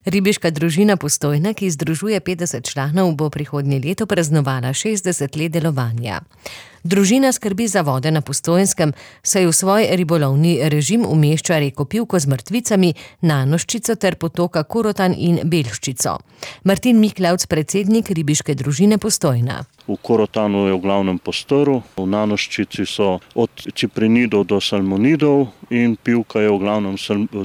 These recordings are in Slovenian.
Ribiška družina Postojna, ki združuje 50 članov, bo prihodnje leto praznovala 60 let delovanja. Družina skrbi za vode na Postojnskem, saj v svoj ribolovni režim umešča reko Pivko z mrtvicami, Nanoščico ter potoka Korotan in Belščico. Martin Miklavc, predsednik ribiške družine Postojna. V Korotanu je v glavnem postrv, v Nanoščici so od ciprinidov do salmonidov in Pivka je v glavnem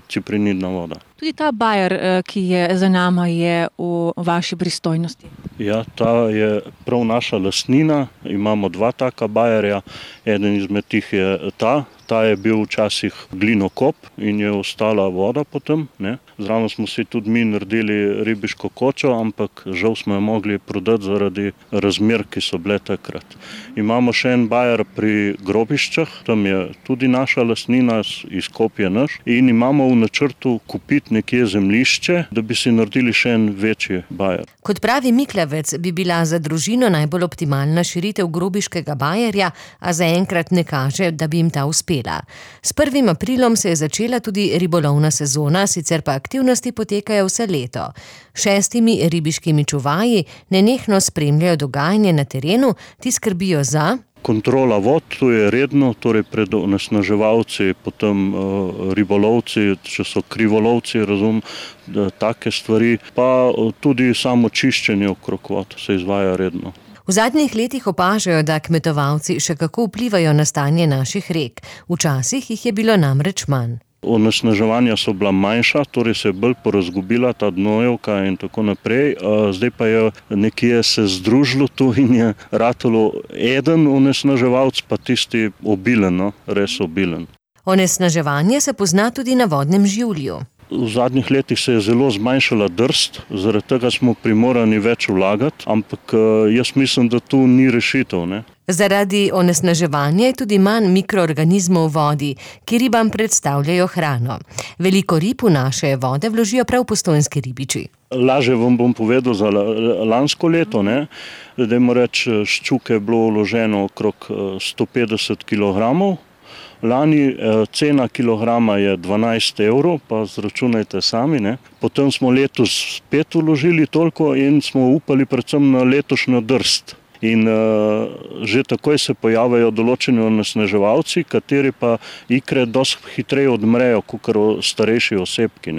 ciprinidna voda. Tudi ta bajer, ki je za nama, je v vaši pristojnosti. Ja, ta je prav naša lastnina. Imamo dva taka bajerja. Eden izmed tih je ta. Ta je bil včasih glinokop in je ostala voda potem. Zraven smo si tudi mi naredili ribiško kočo, ampak žal smo jo mogli prodati zaradi razmer, ki so bile takrat. Imamo še en bajer pri Grobiščah, tam je tudi naša lastnina, izkop je naš. In imamo v načrtu kupiti nekje zemljišče, da bi si naredili še en večji bajer. Kot pravi Miklavec, bi bila za družino najbolj optimalna širitev grobiškega bajerja, a zaenkrat ne kaže, da bi jim ta uspela. S 1. aprilom se je začela tudi ribolovna sezona, sicer pa aktivnosti potekajo vse leto. 6 ribiškimi čuvaji nenehno spremljajo dogajanje na terenu, ti skrbijo za kontrola vod, to je redno, torej pred onesnaževalci, potem ribolovci, če so krivolovci, take stvari, pa tudi samo čiščenje okrog vod se izvaja redno. V zadnjih letih opažajo, da kmetovalci še kako vplivajo na stanje naših rek. Včasih jih je bilo namreč manj. Onesnaževanja so bila manjša, torej se je bolj porazgubila ta Dnojevka in tako naprej. Zdaj pa je nekje se združilo tu in je ratalo eden onesnaževalc, pa tisti obilen, res obilen. Onesnaževanje se pozna tudi na vodnem življu. V zadnjih letih se je zelo zmanjšala drst, zaradi tega smo primorani več vlagati, ampak jaz mislim, da tu ni rešitev. Zaradi onesnaževanja je tudi manj mikroorganizmov v vodi, ki ribam predstavljajo hrano. Veliko rib v naše vode vložijo prav postojnski ribiči. Lažje vam bom povedal za lansko leto. Dajmo reči, ščuke je bilo vloženo okrog 150 kilogramov. Lani cena kilograma je 12 evrov, pa zračunajte sami. Potem smo letos spet vložili toliko in smo upali predvsem na letošnjo drst. In že takoj se pojavljajo določeni onesnaževalci, kateri pa ikre dosti hitreje odmrejo, kakor starejši osebki.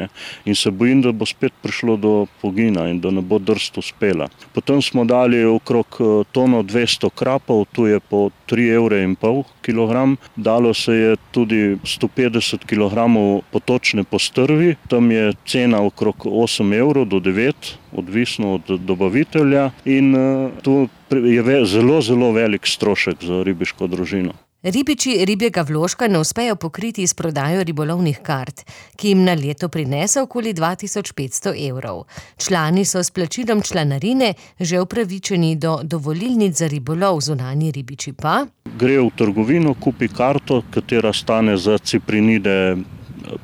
In se bojim, da bo spet prišlo do pogina in da ne bo drst uspela. Potem smo dali okrog tono 200 krapov, tu je po 3,5 evra kilogram. Dalo se je tudi 150 kilogramov potočne postrvi, tam je cena okrog 8 evrov do 9, odvisno od dobavitelja in tu je zelo, zelo velik strošek za ribiško družino. Ribiči ribjega vložka ne uspejo pokriti s prodajo ribolovnih kart, ki jim na leto prinese okoli 2500 evrov. Člani so s plačilom članarine že upravičeni do dovolilnic za ribolov, zunanji ribiči pa gre v trgovino, kupi karto, katera stane za ciprinide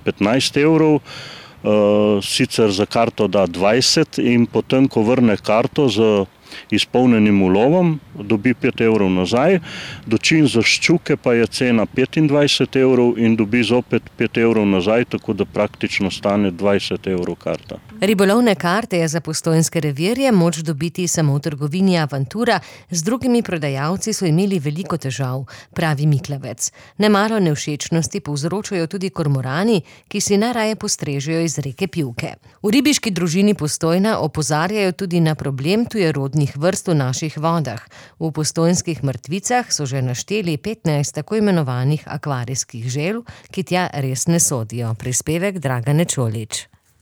15 evrov, sicer za karto da 20 in potem, ko vrne karto z izpolnjenim ulovom, dobi 5 evrov nazaj, dočim za ščuke pa je cena 25 evrov in dobi zopet 5 evrov nazaj, tako da praktično stane 20 evrov karta. Ribolovne karte je za postojnske revirje moč dobiti samo v trgovini Avantura, z drugimi prodajalci so imeli veliko težav, pravi Miklavec. Nemalo nevšečnosti povzročajo tudi kormorani, ki si najraje postrežejo iz reke Pivke. V ribiški družini Postojna opozarjajo tudi na problem tujerodnih vrst v naših vodah. V postojnskih mrtvicah so že našteli 15 tako imenovanih akvarijskih želv, ki tja res ne sodijo. Prispevek Dragane Čolič.